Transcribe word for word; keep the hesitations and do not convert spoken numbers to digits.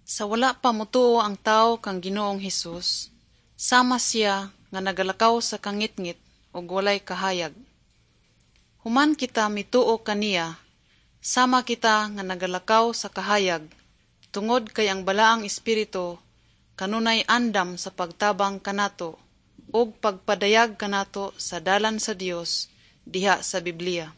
Sa wala pa motuo ang tawo kang Ginoong Hesus, sama siya nga nagalakaw sa kangitngit ug walay kahayag. Human kita mituo kaniya, sama kita nga nagalakaw sa kahayag, tungod kay ang Balaang Espiritu kanunay andam sa pagtabang kanato ug pagpadayag kanato sa dalan sa Dios diha sa Biblia.